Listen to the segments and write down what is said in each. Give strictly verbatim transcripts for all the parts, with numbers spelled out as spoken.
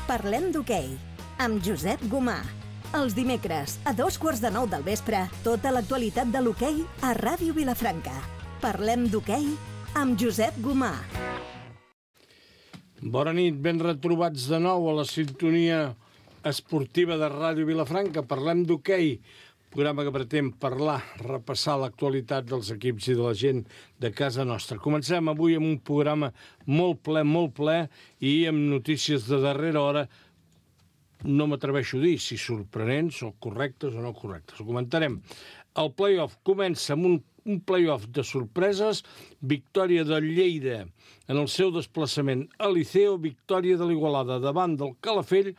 Parlem d'hoquei, amb Josep Gomà. Els dimecres, a dos quarts de nou del vespre, tota l'actualitat de l'hoquei a Ràdio Vilafranca. Parlem d'hoquei amb Josep Gomà. Bona nit, ben retrobats de nou a la sintonia esportiva de Ràdio Vilafranca. Parlem d'hoquei, programa que pretén parlar, repassar l'actualitat dels equips i de la gent de casa nostra. Comencem avui amb un programa molt ple, molt ple, i amb notícies de darrera hora. No m'atreveixo a dir si sorprenents o correctes o no correctes. Ho comentarem. El play-off comença amb un, un play-off de sorpreses. Victòria del Lleida en el seu desplaçament a Liceo, victòria de l'Igualada davant del Calafell,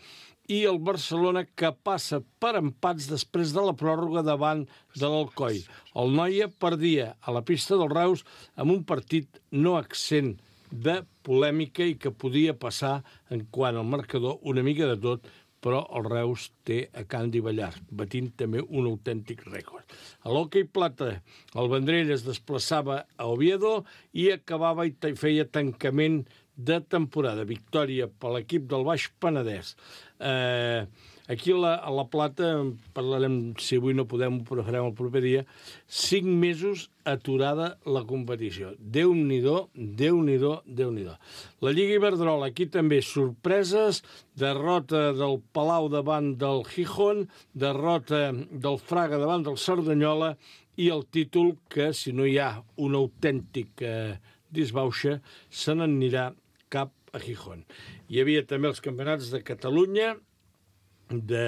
i el Barcelona, que passa per empats després de la pròrroga davant de l'Alcoi. El Noia perdia a la pista del Reus amb un partit no exempt de polèmica i que podia passar en quant al marcador una mica de tot, però el Reus té a Candi Ballar, batint també un autèntic rècord. A l'hoquei plata, el Vendrell es desplaçava a Oviedo i acabava i feia tancament de temporada. Victòria per l'equip del Baix Penedès. Eh, aquí a la, a la Plata, parlarem, si avui no podem, ho farem el proper dia, cinc mesos aturada la competició. Déu-n'hi-do, Déu-n'hi-do, Déu-n'hi-do. La Lliga Iberdrola, aquí també sorpreses, derrota del Palau davant del Gijón, derrota del Fraga davant del Cerdanyola, i el títol que, si no hi ha un autèntic eh, disbauxa, se n'anirà cap a Gijón. Hi havia també els campionats de Catalunya, de,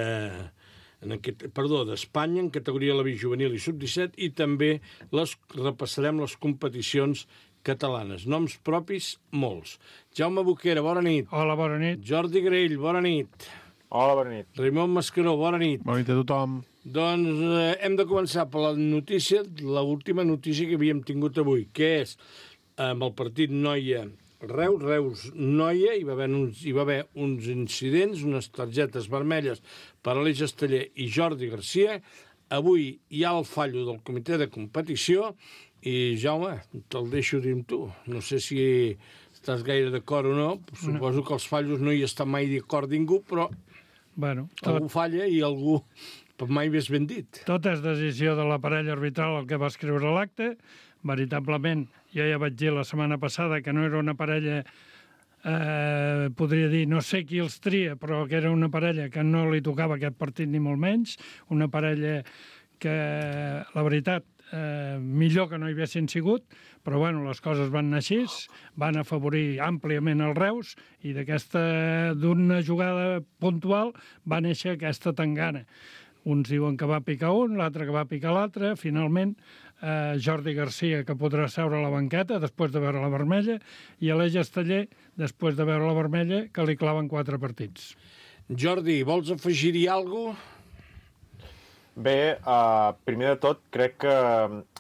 en aquest, perdó, d'Espanya, en categoria la juvenil i sub disset, i també les, repassarem les competicions catalanes. Noms propis, molts. Jaume Boquera, bona nit. Hola, bona nit. Jordi Grell, bona nit. Hola, bona nit. Raimon Mascaró, bona nit. Bona nit a tothom. Doncs eh, hem de començar per la notícia, l'última notícia que havíem tingut avui, que és amb el partit Noia Reus, Reus Noia, hi va haver uns, hi va haver uns incidents, unes targetes vermelles per a l'Eix Esteller i Jordi Garcia. Avui hi ha el fallo del comitè de competició i, Jaume, te'l deixo dir amb tu. No sé si estàs gaire d'acord o no. Suposo que els fallos no hi està mai d'acord ningú, però bueno, tot, algú falla i algú mai més ben dit. Tot és decisió de l'aparell arbitral el que va escriure l'acte. Veritablement, jo ja vaig dir la setmana passada que no era una parella, eh, podria dir, no sé qui els tria, però que era una parella que no li tocava aquest partit ni molt menys, una parella que, la veritat, eh, millor que no hi haguessin sigut, però bueno, les coses van anar així, van afavorir àmpliament el Reus, i d'aquesta, d'una jugada puntual va néixer aquesta tangana. Uns diuen que va picar un, l'altre que va picar l'altre. Finalment, eh, Jordi Garcia, que podrà seure a la banqueta després de veure la vermella, i Aleix Esteller, després de veure la vermella, que li claven quatre partits. Jordi, vols afegir-hi alguna cosa? Bé, uh, primer de tot, crec que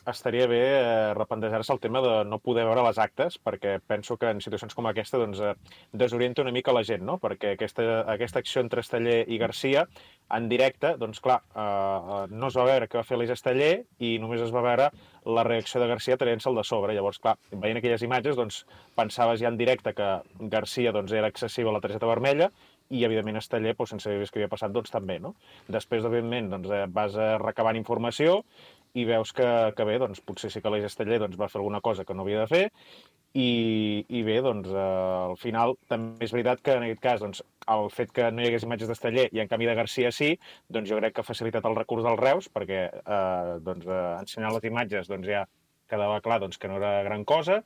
estaria bé uh, replantejar-se el tema de no poder veure les actes, perquè penso que en situacions com aquesta doncs, uh, desorienta una mica la gent, no? Perquè aquesta, aquesta acció entre Esteller i Garcia, en directe, doncs clar, uh, no es va veure què va fer l'Eix Esteller i només es va veure la reacció de Garcia traient-se'l de sobre. Llavors, clar, veient aquelles imatges, doncs, pensaves ja en directe que Garcia doncs, era excessiva la targeta vermella, i, evidentment, Esteller, doncs, sense saber què havia passat, doncs també, no? Després, evidentment, doncs, vas recabant informació i veus que, que bé, doncs, potser sí que l'Eix Esteller doncs, va fer alguna cosa que no havia de fer, i, i bé, doncs, eh, al final, també és veritat que, en aquest cas, doncs, el fet que no hi hagués imatges d'Esteller i, en canvi, de Garcia sí, doncs jo crec que ha facilitat el recurs del Reus, perquè, eh, doncs, eh, ensenyant les imatges, doncs, ja quedava clar doncs, que no era gran cosa.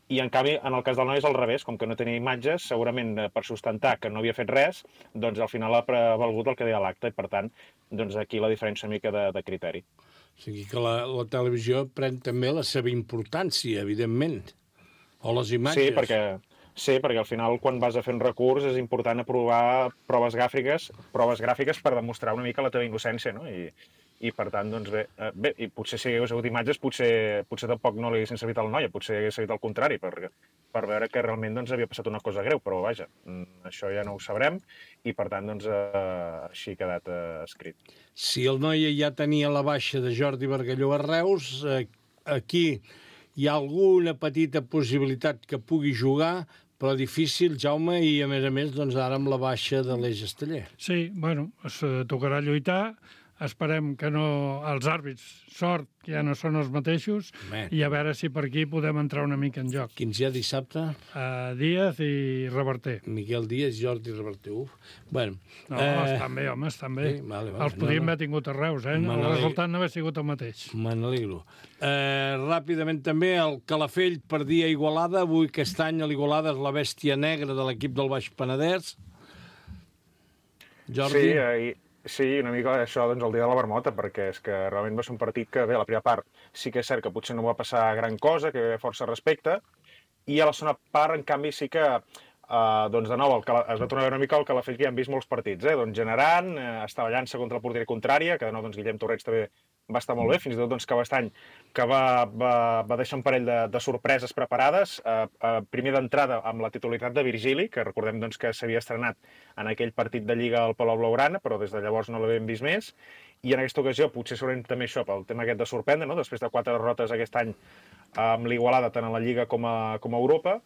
I, en canvi, en el cas del Noia és al revés, com que no tenia imatges, segurament per sustentar que no havia fet res, doncs al final ha prevalgut el que deia l'acte, i per tant, doncs aquí la diferència una mica de, de criteri. O sigui que la, la televisió pren també la seva importància, evidentment, o les imatges. Sí, perquè, sí, perquè al final quan vas a fer un recurs és important aprovar proves gràfiques, proves gràfiques per demostrar una mica la teva innocència, no? I, i per tant, doncs bé, bé, i potser si hagués hagut imatges, potser, potser tampoc no li haguessin servit al Noia, potser hagués servit al contrari, per, per veure que realment doncs, havia passat una cosa greu, però vaja, això ja no ho sabrem, i per tant, doncs, eh, així ha quedat eh, escrit. Si el Noia ja tenia la baixa de Jordi Bargalló a Reus, eh, aquí hi ha alguna petita possibilitat que pugui jugar, però difícil, Jaume, i a més a més, doncs ara amb la baixa de l'Eix Esteller. Sí, bueno, es tocarà lluitar. Esperem que no... Els àrbits, sort, que ja no són els mateixos, Bé. i a veure si per aquí podem entrar una mica en joc. Quins hi ha dissabte? Uh, Díaz i Reverter. Miquel Díaz, Jordi Reverter. Uf. Bueno, No, eh... estan bé, home, estan bé. Sí, vale, vale. Els podríem no, no. haver tingut a Reus, eh? El resultat no haver sigut el mateix. Me n'alegro. Eh, ràpidament també, el Calafell perdia a Igualada. Avui aquest any a l'Igualada és la bèstia negra de l'equip del Baix Penedès. Jordi? Sí, eh, sí, una mica això doncs, el dia de la Marmota, perquè és que realment va ser un partit que, bé, a la primera part sí que és cert que potser no va passar gran cosa, que hi havia força respecte, i a la segona part, en canvi, sí que, eh, doncs, de nou, el Cala... es va tornar a veure una mica el Calafell que ja hem vist molts partits, eh? Doncs generant, eh, estavellant-se contra el porter contrària, que de nou, doncs, Guillem Torrents també va estar molt bé, fins i tot doncs, que Cabestany, que va, va, va deixar un parell de, de sorpreses preparades, eh, eh, primer d'entrada amb la titularitat de Virgili, que recordem doncs, que s'havia estrenat en aquell partit de Lliga al Palau Blaugrana, però des de llavors no l'havíem vist més, i en aquesta ocasió, potser segurament també això, pel tema aquest de sorprendre, no? Després de quatre derrotes aquest any amb l'Igualada, tant a la Lliga com a, com a Europa,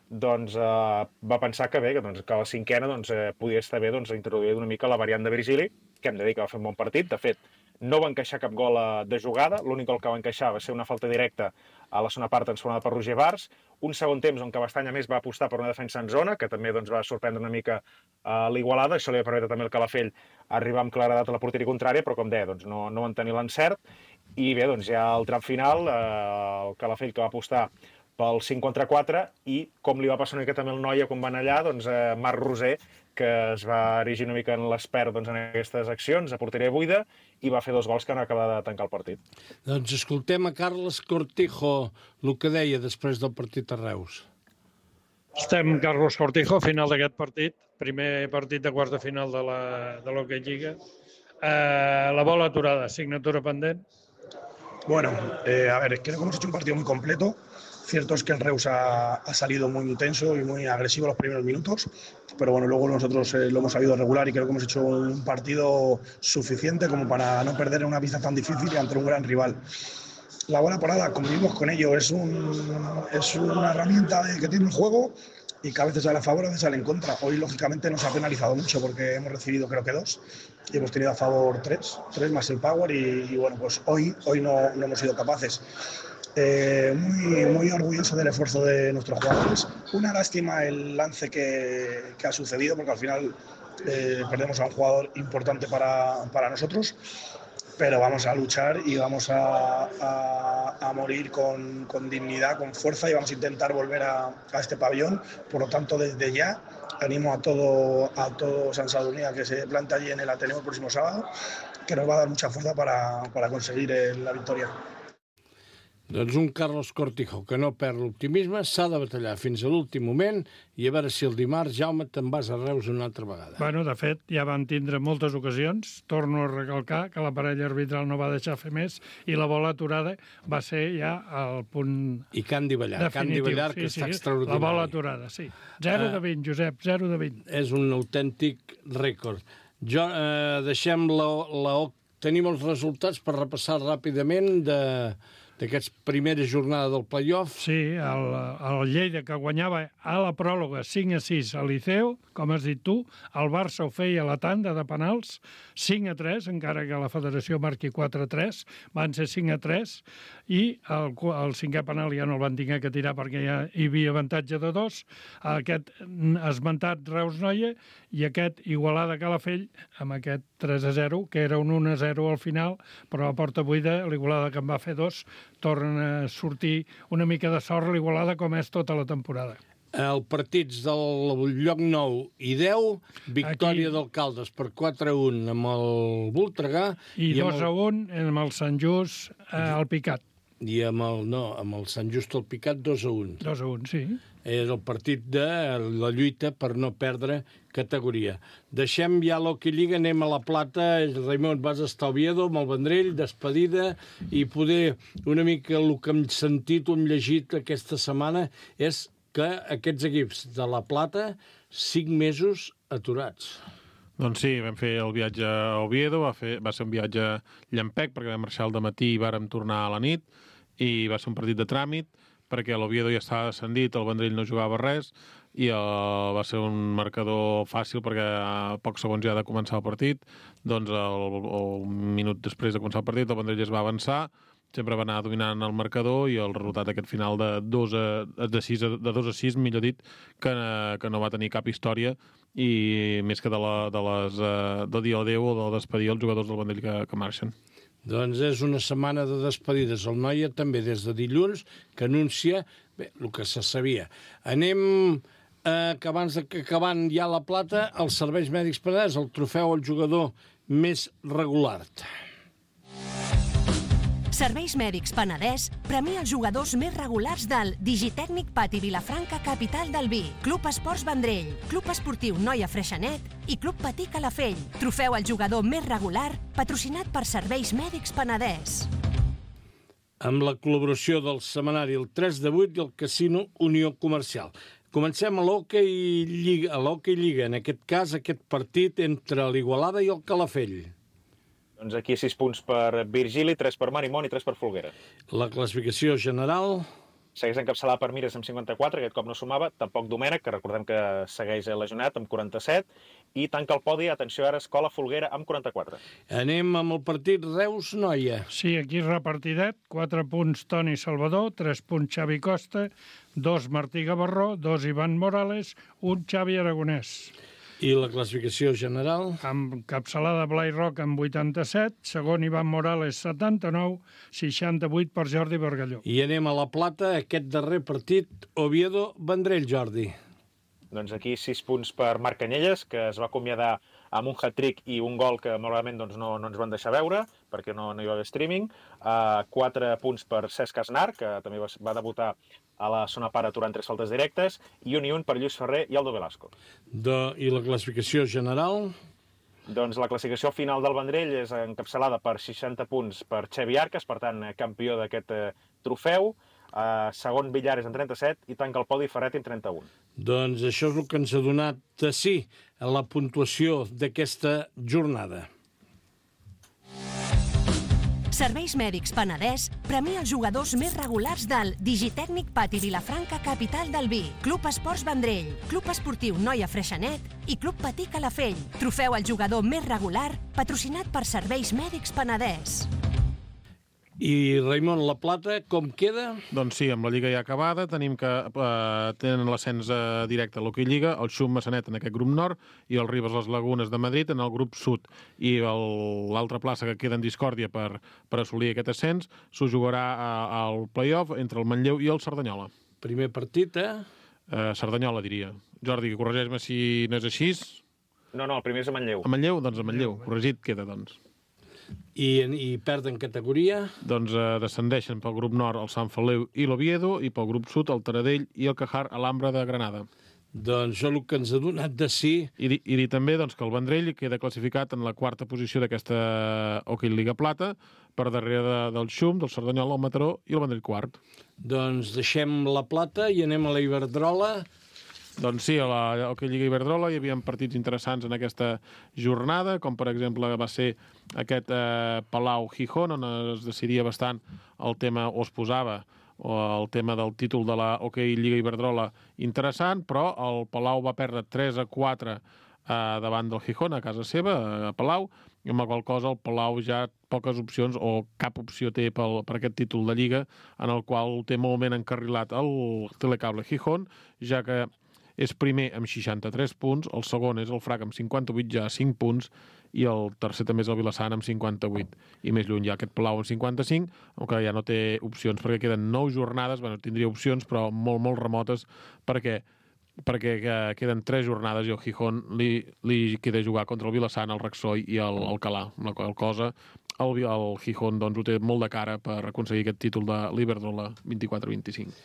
doncs eh, va pensar que bé, que, doncs, que a la cinquena doncs, eh, podia estar bé doncs, introduir una mica la variant de Virgili, que hem de dir que va fer un bon partit. De fet, no va encaixar cap gol de jugada, l'únic gol que va encaixar va ser una falta directa a la segona part transformada per Roger Bars, un segon temps on Cabestany a més va apostar per una defensa en zona, que també doncs, va sorprendre una mica a l'Igualada, això li va permetre també al Calafell arribar amb claredat a la porteria contrària, però com deia, doncs, no, no van tenir l'encert, i bé, doncs ja al tram final, eh, el Calafell que va apostar pel cinc contra quatre, i com li va passar una mica també al Noia quan van allà, doncs eh, Marc Roser, que es va erigir una mica en l'expert doncs, en aquestes accions, a porteria buida, i va fer dos gols que han acabat de tancar el partit. Doncs escoltem a Carles Cortijo el que deia després del partit a Reus. Estem Carlos Cortijo, final d'aquest partit, primer partit de quarts de final de la, de l'Hockey Lliga. Eh, la bola aturada, signatura pendent. Bueno, eh, a ver, creo que hemos hecho un partido muy completo. Cierto es que el Reus ha, ha salido muy intenso y muy agresivo los primeros minutos, pero bueno, luego nosotros eh, lo hemos sabido regular y creo que hemos hecho un partido suficiente como para no perder en una pista tan difícil y ante un gran rival. La bola parada, convivimos con ello, es, un, es una herramienta que tiene el juego y que a veces sale a favor, a veces sale en contra. Hoy, lógicamente, nos ha penalizado mucho porque hemos recibido creo que dos y hemos tenido a favor tres, tres más el power y, y bueno, pues hoy, hoy no, no hemos sido capaces. Eh, muy, muy orgulloso del esfuerzo de nuestros jugadores. Una lástima el lance que, que ha sucedido porque al final eh, perdemos a un jugador importante para, para nosotros, pero vamos a luchar y vamos a, a, a morir con, con dignidad, con fuerza y vamos a intentar volver a, a este pabellón. Por lo tanto, desde ya animo a todo, a todo San Sadurní que se plante allí en el Ateneo el próximo sábado, que nos va a dar mucha fuerza para, para conseguir el, la victoria. Doncs un Carlos Cortijo que no perd l'optimisme, s'ha de batallar fins a l'últim moment i a veure si el dimarts, Jaume, te'n vas a Reus una altra vegada. Bueno, de fet, ja van tindre moltes ocasions. Torno a recalcar que la parella arbitral no va deixar fer més i la bola aturada va ser ja el punt I Candy Ballar, Candy definitiu. Ballar, Sí, que sí, està extraordinari. la bola aturada, sí. zero de vint, Josep, zero de vint. És un autèntic rècord. Jo, eh, deixem la, la... Tenim els resultats per repassar ràpidament de... d'aquesta primera jornada del play-off. Sí, el, el Lleida que guanyava a la pròloga cinc a sis al Liceu, com has dit tu, el Barça ho feia a la tanda de penals, cinc a tres, encara que la federació marqui quatre a tres, van ser cinc a tres, i el, el cinquè penal ja no el van tenir que tirar perquè ja hi havia avantatge de dos, aquest esmentat Reus-Noia i aquest Igualada-Calafell amb aquest tres a zero, que era un un a zero al final, però a porta buida l'Igualada que en va fer dos tornen a sortir una mica de sort l'Igualada com és tota la temporada. El partits del lloc nou i deu, victòria d'Alcaldes per quatre a un amb el Voltregà. I, I dos a un amb el Sant Just eh, al Picat. I amb el, no, amb el Sant Just al Picat dos a un. dos a un, sí. És el partit de la lluita per no perdre categoria. Deixem ja l'Hockey Lliga, anem a la Plata. Raimon, vas estar a Oviedo amb el Vendrell, despedida, i poder una mica el que hem sentit o hem llegit aquesta setmana és que aquests equips de la Plata, cinc mesos aturats. Doncs sí, vam fer el viatge a Oviedo, va, fer, va ser un viatge llampec, perquè vam marxar al matí i vàrem tornar a la nit, i va ser un partit de tràmit, perquè l'Oviedo ja estava descendit, el Vendrell no jugava res, i uh, va ser un marcador fàcil perquè a pocs segons ja de començar el partit, doncs el, el minut després de començar el partit el Vendrell es va avançar, sempre va anar dominant el marcador i el resultat aquest final de dos a, de sis a, de dos a sis, millor dit, que, que no va tenir cap història i més que de, la, de les de dir adéu o de despedir els jugadors del Vendrell que, que marxen. Doncs és una setmana de despedides. El Noia també des de dilluns que anuncia bé, el que se sabia. Anem eh, que abans de que acabant ja la plata, els serveis mèdics Penedès, el trofeu al jugador més regular. Serveis Mèdics Penedès premia els jugadors més regulars del Digitècnic Pati Vilafranca, capital del vi, Club Esports Vendrell, Club Esportiu Noia Freixenet i Club Patí Calafell. Trofeu al jugador més regular, patrocinat per Serveis Mèdics Penedès. Amb la col·laboració del setmanari El tres de vuit i el Casino Unió Comercial. Comencem a l'Hockey Lliga, a l'Hockey Lliga, en aquest cas aquest partit entre l'Igualada i el Calafell. Doncs aquí sis punts per Virgili, tres per Marimón i tres per Folguera. La classificació general... Segueix encapçalat per Mires amb cinquanta-quatre, aquest cop no sumava, tampoc Domènec, que recordem que segueix lesionat, amb quaranta-set, i tanca el podi, atenció ara, Escola Folguera amb quaranta-quatre. Anem amb el partit Reus-Noia. Sí, aquí repartidet, quatre punts Toni Salvador, tres punts Xavi Costa, dos Martí Gavarró, dos Ivan Morales, un Xavi Aragonès. I la classificació general? Amb capçalada Blai Roca amb vuitanta-set, segon Ivan Morales setanta-nou, seixanta-vuit per Jordi Bargalló. I anem a la plata, aquest darrer partit, Oviedo-Vendrell, Jordi. Doncs aquí sis punts per Marc Canyelles, que es va acomiadar amb un hat-trick i un gol que malauradament doncs, no, no ens van deixar veure, perquè no, no hi va haver streaming. Uh, quatre punts per Cesc Asnar, que també va, va debutar a la zona part aturant tres faltes directes, i un i un per Lluís Ferrer i Aldo Velasco. De, I la classificació general? Doncs la classificació final del Vendrell és encapçalada per seixanta punts per Xevi Arcas, per tant, campió d'aquest eh, trofeu. Uh, segon Villares amb trenta-set i tanca el podi Ferret amb trenta-un. Doncs això és el que ens ha donat de sí a la puntuació d'aquesta jornada. Serveis Mèdics Penedès premia els jugadors més regulars del Digitècnic Pati Vilafranca, capital del vi, Club Esports Vendrell, Club Esportiu Noia Freixenet i Club Patí Calafell. Trofeu al jugador més regular, patrocinat per Serveis Mèdics Penedès. I, Raimon, la plata, com queda? Doncs sí, amb la Lliga ja acabada, tenim que eh, tenen l'ascens eh, directe a l'Hockey Lliga, el Xum Massanet en aquest grup nord i el Ribes Les Lagunes de Madrid en el grup sud. I l'altra plaça que queda en discòrdia per, per assolir aquest ascens s'ho jugarà a, al play-off entre el Manlleu i el Cerdanyola. Primer partit, eh? eh Cerdanyola, diria. Jordi, corregeix-me si no és així. No, no, el primer és a Manlleu. A Manlleu? Doncs a Manlleu. Corregit queda, doncs. I, i perden categoria? Doncs eh, descendeixen pel grup nord el Sant Feliu i l'Oviedo i pel grup sud el Taradell i el Cajar Alhambra de Granada. Doncs això és el que ens ha donat de sí. I, i dir també doncs, que el Vendrell queda classificat en la quarta posició d'aquesta Hockey Lliga Plata, per darrere de, del Xum, del Cerdanyola, el Mataró i el Vendrell quart. Doncs deixem la plata i anem a la Iberdrola. Doncs sí, a la Hockey Lliga Iberdrola hi havia partits interessants en aquesta jornada, com per exemple va ser aquest eh, Palau-Gijón, on es decidia bastant el tema, o es posava, o el tema del títol de la Hockey Lliga Iberdrola interessant, però el Palau va perdre tres a quatre eh, davant del Gijón, a casa seva, a Palau, i amb la qual cosa el Palau ja poques opcions o cap opció té pel, per aquest títol de Lliga, en el qual té molt ben encarrilat el Telecable Gijón, ja que és primer amb seixanta-tres punts, el segon és el Frac amb cinquanta-vuit, ja cinc punts, i el tercer també és el Vilassana amb cinquanta-vuit. I més lluny hi ha aquest Palau amb cinquanta-cinc, que ja no té opcions perquè queden nou jornades, bueno, tindria opcions, però molt, molt remotes, perquè perquè queden tres jornades i el Gijón li, li queda jugar contra el Vilassana, el Raxoi i el Alcalà, amb la qual cosa el, el Gijón doncs, ho té molt de cara per aconseguir aquest títol de l'Iberdrola vint-i-quatre vint-i-cinc.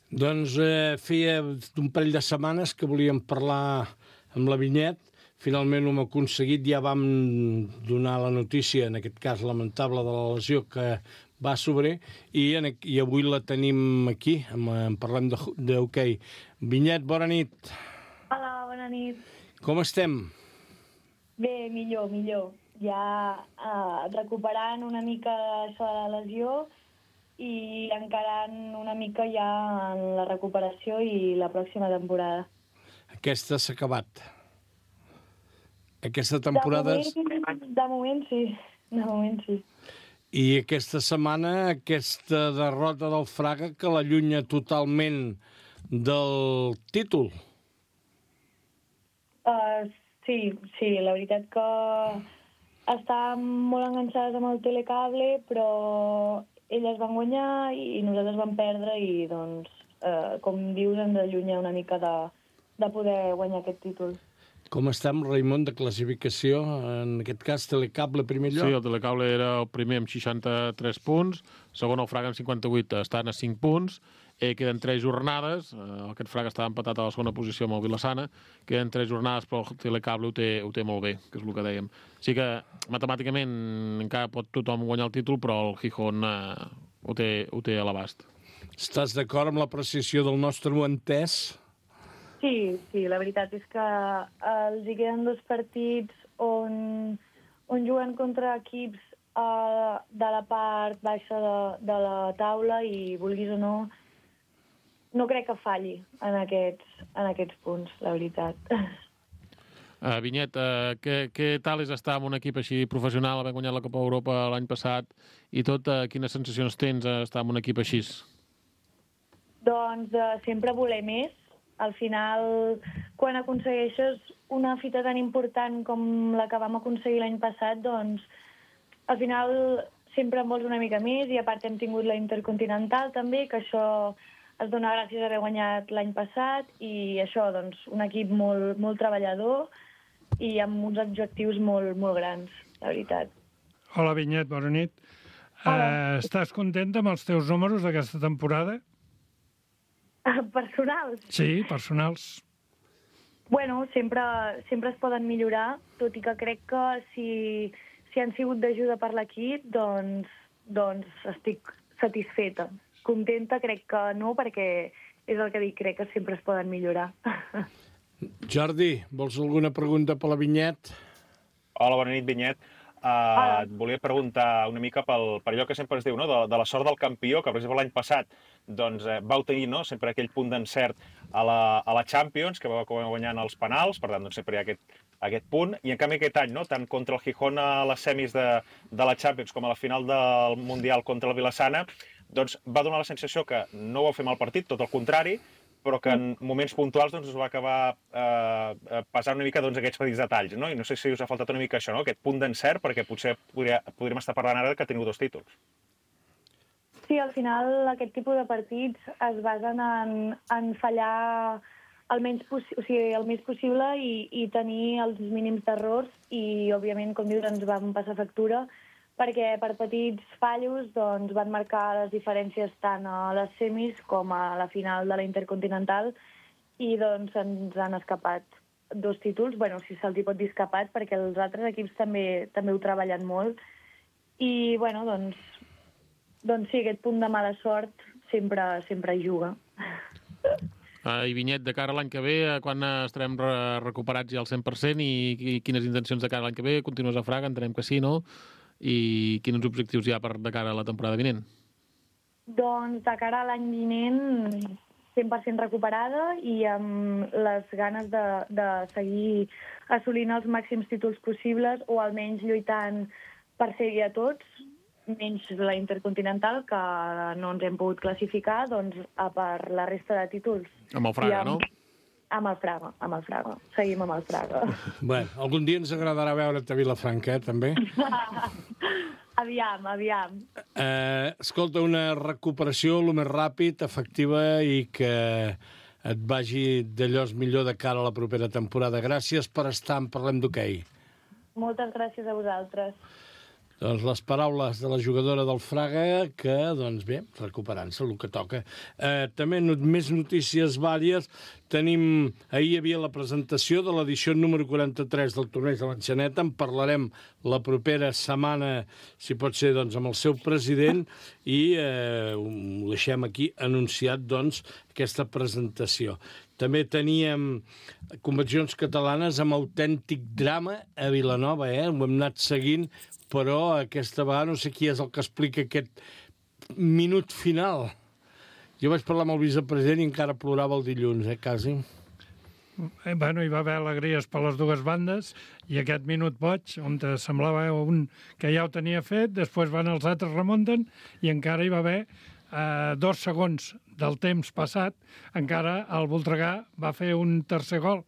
Doncs eh, feia un parell de setmanes que volíem parlar amb la Vinyet. Finalment ho hem aconseguit, ja vam donar la notícia, en aquest cas lamentable, de la lesió que va sobre, i, en, i avui la tenim aquí, en, en parlem d'hoquei. Vinyet, bona nit. Hola, bona nit. Com estem? Bé, millor, millor. Ja eh, recuperant una mica això de la lesió i encarant una mica ja en la recuperació i la pròxima temporada. Aquesta s'ha acabat. Aquesta temporada... De moment, de moment sí, de moment sí. I aquesta setmana, aquesta derrota del Fraga que l'allunya totalment del títol. Uh, sí, sí, la veritat que estàvem molt enganxades amb el telecable, però elles van guanyar i nosaltres vam perdre i, doncs, uh, com dius, ens allunya una mica de, de poder guanyar aquest títol. Com estem, Raimon, de classificació? En aquest cas, Telecable, primer lloc? Sí, el Telecable era el primer amb seixanta-tres punts, segon el Fraga amb cinquanta-vuit, estan a cinc punts, eh, queden tres jornades, eh, aquest Fraga estava empatat a la segona posició amb el Vilassana, queden tres jornades, però el Telecable ho té, ho té molt bé, que és el que dèiem. Sí que matemàticament encara pot tothom guanyar el títol, però el Gijón eh, ho té, ho té a l'abast. Estàs d'acord amb l'apreciació del nostre entès? Sí, sí, la veritat és que els hi queden dos partits on, on juguen contra equips uh, de la part baixa de, de la taula i, vulguis o no, no crec que falli en aquests, en aquests punts, la veritat. Uh, Vinyet, uh, què, què tal és estar en un equip així professional, haver guanyat la Copa Europa l'any passat i tot, uh, quines sensacions tens a estar en un equip així? Doncs uh, sempre voler més. Al final, quan aconsegueixes una fita tan important com la que vam aconseguir l'any passat, doncs, al final sempre en vols una mica més i a part hem tingut la Intercontinental també, que això es dona gràcies a haver guanyat l'any passat i això, doncs, un equip molt, molt treballador i amb uns objectius molt, molt grans, la veritat. Hola, Vinyet, bona nit. Hola. Uh, estàs contenta amb els teus números d'aquesta temporada? Personals? Sí, personals. Bueno, sempre, sempre es poden millorar, tot i que crec que si, si han sigut d'ajuda per l'equip, doncs, doncs estic satisfeta. Contenta crec que no, perquè és el que dic, crec que sempre es poden millorar. Jordi, vols alguna pregunta per la Vinyet? Hola, bona nit, Vinyet. Uh, et volia preguntar una mica pel, per allò que sempre es diu, no? de, de la sort del campió, que per exemple l'any passat doncs, eh, vau tenir, no? sempre aquell punt d'encert a, la, a la Champions, que vau guanyant els penals, per tant doncs, sempre hi ha aquest, aquest punt, i en canvi aquest any, no? tant contra el Gijón a les semis de, de la Champions com a la final del Mundial contra el Vilassana, doncs va donar la sensació que no vau fer mal partit, tot el contrari, però que en moments puntuals doncs, us va acabar eh, passant una mica doncs, aquests petits detalls, no? I no sé si us ha faltat una mica això, no? Aquest punt d'encert, perquè potser podria, podríem estar parlant ara que teniu dos títols. Sí, al final aquest tipus de partits es basen en, en fallar el, menys o sigui, el més possible i, i tenir els mínims d'errors i, òbviament, com dius, ens vam passar factura perquè per petits fallos doncs, van marcar les diferències tant a les semis com a la final de la Intercontinental i doncs ens han escapat dos títols, bueno, si se'ls hi pot dir escapat, perquè els altres equips també també ho treballen molt i, bueno, doncs, doncs sí, aquest punt de mala sort sempre, sempre hi juga. Uh, I Vinyet, de cara a l'any que ve, quan estarem re recuperats ja al cent per cent i, i quines intencions de cara a l'any que ve? Continues a Fraga, entenem que sí, no? I quins objectius hi ha per, de cara a la temporada vinent? Doncs de cara a l'any vinent cent per cent recuperada i amb les ganes de, de seguir assolint els màxims títols possibles o almenys lluitant per ser-hi a tots, menys la Intercontinental, que no ens hem pogut classificar, doncs a per la resta de títols. Amb el Fraga, amb, no? Amb el Fraga, amb el Fraga. Seguim amb el Fraga. Bé, algun dia ens agradarà veure't a Vilafranca, eh, també? Aviam, aviam. Eh, escolta, una recuperació el més ràpid, efectiva i que et vagi d'allò millor de cara a la propera temporada. Gràcies per estar en Parlem d'Hoquei. Moltes gràcies a vosaltres. Doncs les paraules de la jugadora del Fraga, que, doncs bé, recuperant-se el que toca. Eh, també no, més notícies vàries. Tenim, ahir hi havia la presentació de l'edició número quaranta-tres del torneig de l'Enxaneta. En parlarem la propera setmana, si pot ser, doncs, amb el seu president, i eh, ho deixem aquí anunciat, doncs, aquesta presentació. També teníem convencions catalanes amb autèntic drama a Vilanova, eh? Ho hem anat seguint, però aquesta vegada no sé qui és el que explica aquest minut final. Jo vaig parlar amb el vicepresident i encara plorava el dilluns, eh, quasi. Eh, bueno, hi va haver alegries per les dues bandes i aquest minut boig, on semblava un que ja ho tenia fet, després van els altres remunten i encara hi va haver eh, dos segons del temps passat, encara el Voltregà va fer un tercer gol.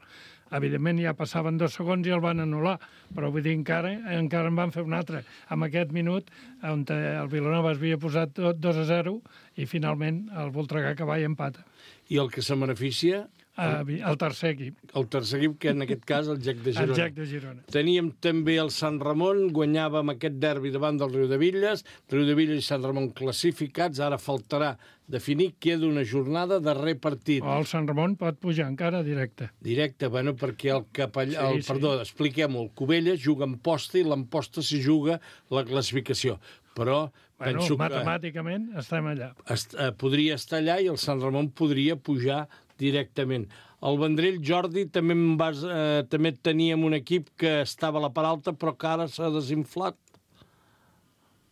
Evidentment ja passaven dos segons i el van anul·lar, però vull dir, encara, encara en van fer un altre. Amb aquest minut, on el Vilanova es havia posat dos a zero i finalment el Voltregà que va i empata. I el que se beneficia? El, el tercer equip. El tercer equip, que en aquest cas el Gec de Girona. El Gec de Girona. Teníem també el Sant Ramon, guanyàvem aquest derbi davant del Riudevilles, Riudevilles i Sant Ramon classificats, ara faltarà definir, queda una jornada de repartit. O el Sant Ramon pot pujar encara directe. Directe, bueno, perquè el capellà... Sí, el, perdó, sí. Expliquem-ho, el Cubelles juga en posta i l'emposta s'hi juga la classificació. Però bueno, penso que... matemàticament estem allà. Est, eh, podria estar allà i el Sant Ramon podria pujar directament. El Vendrell, Jordi, també, em vas, eh, també teníem un equip que estava a la part alta, però que ara s'ha desinflat.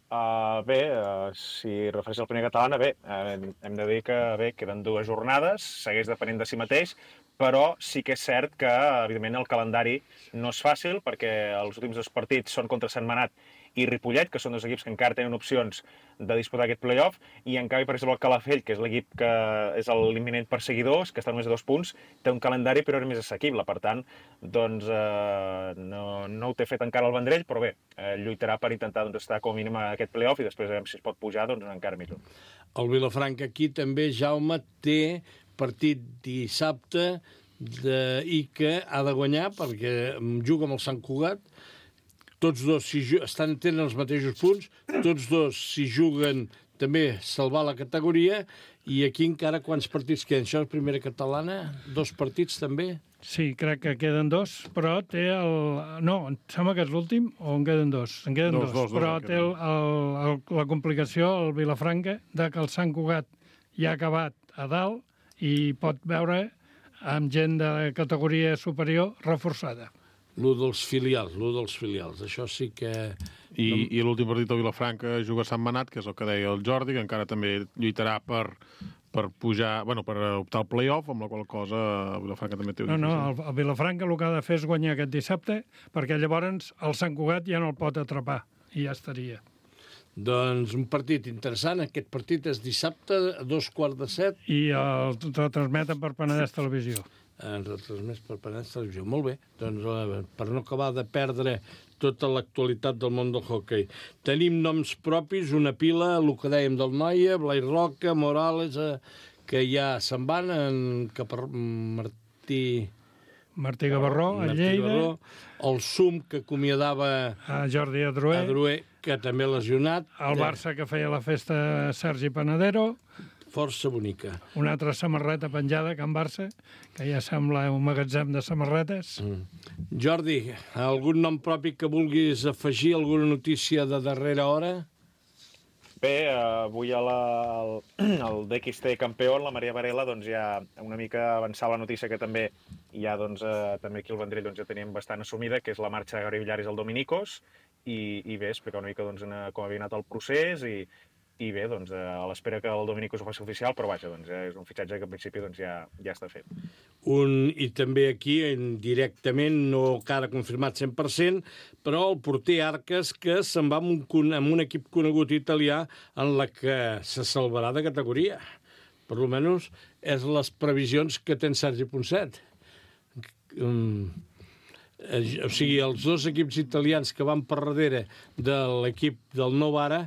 Uh, bé, uh, si refereix al primer catalana, bé, uh, hem de dir que bé, queden dues jornades, segueix depenent de si mateix, però sí que és cert que, evidentment, el calendari no és fàcil, perquè els últims dos partits són contra Sentmenat i Ripollet, que són dos equips que encara tenen opcions de disputar aquest play-off, i en canvi, per exemple, el Calafell, que és l'equip que és l'imminent perseguidor, que està només a dos punts, té un calendari però és més assequible. Per tant, doncs, eh, no, no ho té fet encara el Vendrell, però bé, eh, lluitarà per intentar doncs, estar com a mínim a aquest play-off i després veurem si es pot pujar, doncs encara millor. El Vilafranca aquí també, Jaume, té partit dissabte de... i que ha de guanyar perquè juga amb el Sant Cugat. Tots dos si estan, tenen els mateixos punts, tots dos si juguen també salvar la categoria, i aquí encara quants partits queden? Això és primera catalana? Dos partits també? Sí, crec que queden dos, però té el... No, em sembla que és l'últim, o en queden dos? En queden dos, dos, dos però dos, té el, el, el, la complicació, el Vilafranca, de que el Sant Cugat ja ha acabat a dalt i pot veure amb gent de categoria superior reforçada. L'u dels filials, l'u dels filials. Això sí que... I, i l'últim partit del Vilafranca juga a Sant Manat, que és el que deia el Jordi, que encara també lluitarà per, per pujar, bueno, per optar al play-off, amb la qual cosa el Vilafranca també té... No, no, el, el Vilafranca el que ha de fer és guanyar aquest dissabte, perquè llavors el Sant Cugat ja no el pot atrapar, i ja estaria. Doncs un partit interessant. Aquest partit és dissabte a dos quarts de set. I el retransmeten per Penedès Televisió. En retransmès per Penedès Televisió. Molt bé. Doncs per no acabar de perdre tota l'actualitat del món del hoquei. Tenim noms propis, una pila, el que dèiem del Noia, Blai Roca, Morales, eh, que ja se'n van, en, cap a Martí... Martí Gavarró, a Lleida. Gavarró, el Sum, que acomiadava a Jordi Adrué, Adrué, que també lesionat. El Barça, que feia la festa Sergi Panadero. Força bonica. Una altra samarreta penjada, Can Barça, que ja sembla un magatzem de samarretes. Mm. Jordi, algun nom propi que vulguis afegir, alguna notícia de darrera hora? Bé, avui a la, el, el D X T campió, la Maria Varela, doncs ja una mica avançava la notícia que també ja, doncs, eh, també aquí al Vendrell doncs, ja teníem bastant assumida, que és la marxa de Gabriel Villares al Dominicos, i, i bé, explicar una mica doncs, com havia anat el procés, i, i bé, doncs, a l'espera que el Dominicos ho faci oficial, però vaja, doncs, és un fitxatge que en principi doncs, ja, ja està fet. Un, I també aquí, directament, no encara confirmat cent per cent, però el porter Arques, que se'n va amb un, amb un equip conegut italià en la que se salvarà de categoria. Per almenys és les previsions que té en Sergi Ponset. Um, o sigui, els dos equips italians que van per darrere de l'equip del Novara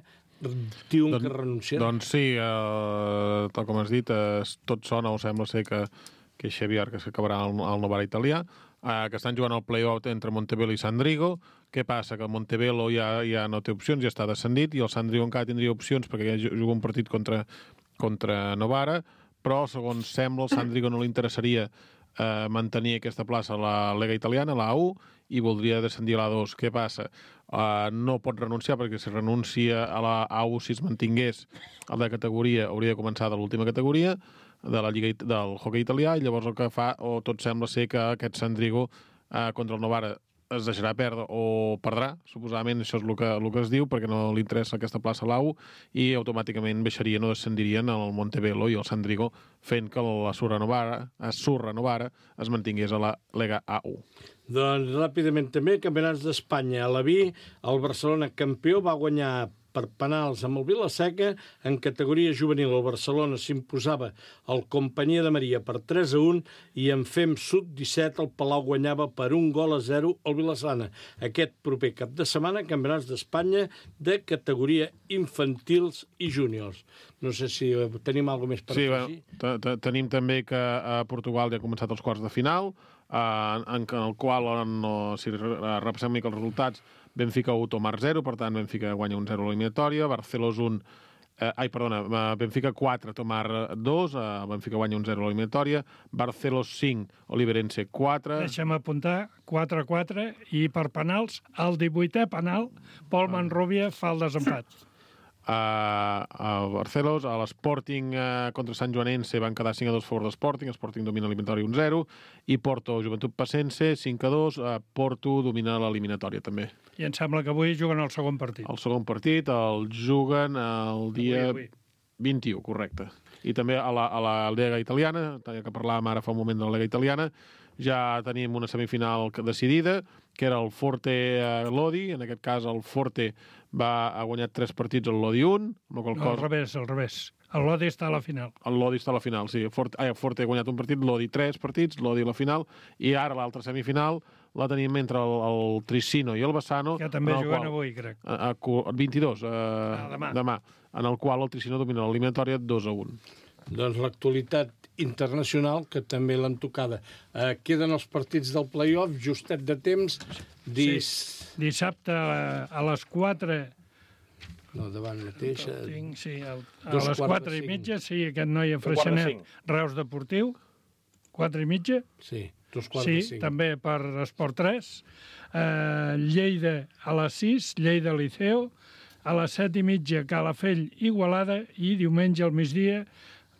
diuen Don, que renuncien. Doncs sí, eh, tal com has dit, eh, tot sona, o sembla ser que, que Xavi Arques acabarà al, al Novara italià, eh, que estan jugant el play-off entre Montebello i Sandrigo. Què passa? Que el Montebello ja, ja no té opcions, ja està descendit, i el Sandrigo encara tindria opcions perquè ja juga un partit contra, contra Novara, però, segons sembla, el Sandrigo no li interessaria eh, mantenir aquesta plaça a la Lega Italiana, a la A u, i voldria descendir a la A dos. Què passa? Uh, no pot renunciar, perquè si renuncia a la A u, si es mantingués a la categoria, hauria de començar de l'última categoria de la Lliga del hoquei italià, i llavors el que fa, o tot sembla ser que aquest Sandrigo uh, contra el Novara es deixarà perdre o perdrà, suposadament això és el que, el que es diu, perquè no li interessa aquesta plaça a l'A U, i automàticament baixarien o descendirien al Montebello i al Sant Drigo, fent que la Surrenovara, Surrenovara es mantingués a la Lega A u. Doncs ràpidament també, campionats d'Espanya. A la B, el Barcelona campió va guanyar per penals amb el Vilaseca. En categoria juvenil, el Barcelona s'imposava al Companyia de Maria per tres a un i en Fem sub disset el Palau guanyava per un gol a zero al Vilassana. Aquest proper cap de setmana, campionats d'Espanya de categoria infantils i júniors. No sé si tenim alguna més per sí, afegir. Bueno, tenim també que a Portugal ja ha començat els quarts de final, en el qual, si repassem una mica els resultats, Benfica u, Tomar zero, per tant, Benfica guanya un zero a l'eliminatòria, Barcelos un... Eh, ai, perdona, Benfica quatre, Tomar dos, eh, Benfica guanya un zero a l'eliminatòria, Barcelos cinc, Oliverense quatre... Deixa'm apuntar, quatre a quatre, i per penals, el divuitè penal, Pol Manrubia fa el desempat. Uh, a Barcelos, a l'Sporting uh, contra Sant Joanense van quedar cinc a dos a favor de Sporting, Sporting domina l'eliminatòria un zero, i Porto, Joventut Passense, cinc a dos, uh, Porto domina l'eliminatòria també. I em sembla que avui juguen el segon partit. El segon partit el juguen el dia avui, avui. vint-i-u, correcte. I també a la, a la Lega Italiana, que parlàvem ara fa un moment de la Lega Italiana, ja tenim una semifinal decidida, que era el Forte-Lodi. En aquest cas, el Forte va ha guanyat tres partits al Lodi un. No, al revés, al revés. El Lodi està a la final. El Lodi està a la final, sí. Forte, ah, Forte ha guanyat un partit, Lodi tres partits, Lodi a la final, i ara l'altra semifinal la tenim entre el, el Trissino i el Bassano. Que també juguen qual, avui, crec. A, a, vint-i-dos, a, ah, demà. demà, en el qual el Trissino domina l'eliminatòria dos a un. Doncs l'actualitat internacional, que també l'han tocada. Eh, queden els partits del play-off, justet de temps. Dis... Sí. Dissabte a, a les quatre... No, davant mateix... Tinc, sí, el, a les quatre i mitja, sí, aquest noi a Freixenet, Reus Deportiu, quatre i mitja. Sí, dos quarts sí, de cinc. També per Esport tres. Eh, Lleida a les sis, Lleida Liceo. A les set i mitja, Calafell Igualada. I diumenge al migdia,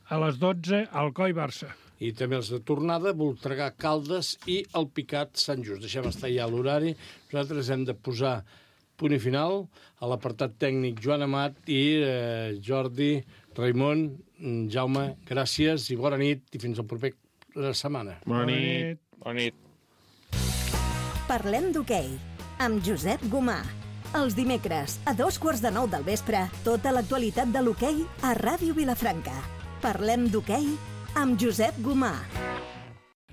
a les dotze, Alcoi Barça. I també els de tornada, Voltregà Caldes i el Picat Sant Just. Deixem estar ja l'horari. Nosaltres hem de posar punt i final a l'apartat tècnic Joan Amat i eh, Jordi, Raimon, Jaume, gràcies i bona nit i fins al proper setmana. Bona nit. Bona nit. Parlem d'hoquei amb Josep Gomà. Els dimecres, a dos quarts de nou del vespre, tota l'actualitat de l'hoquei a Ràdio Vilafranca. Parlem d'hoquei amb Josep Gomà.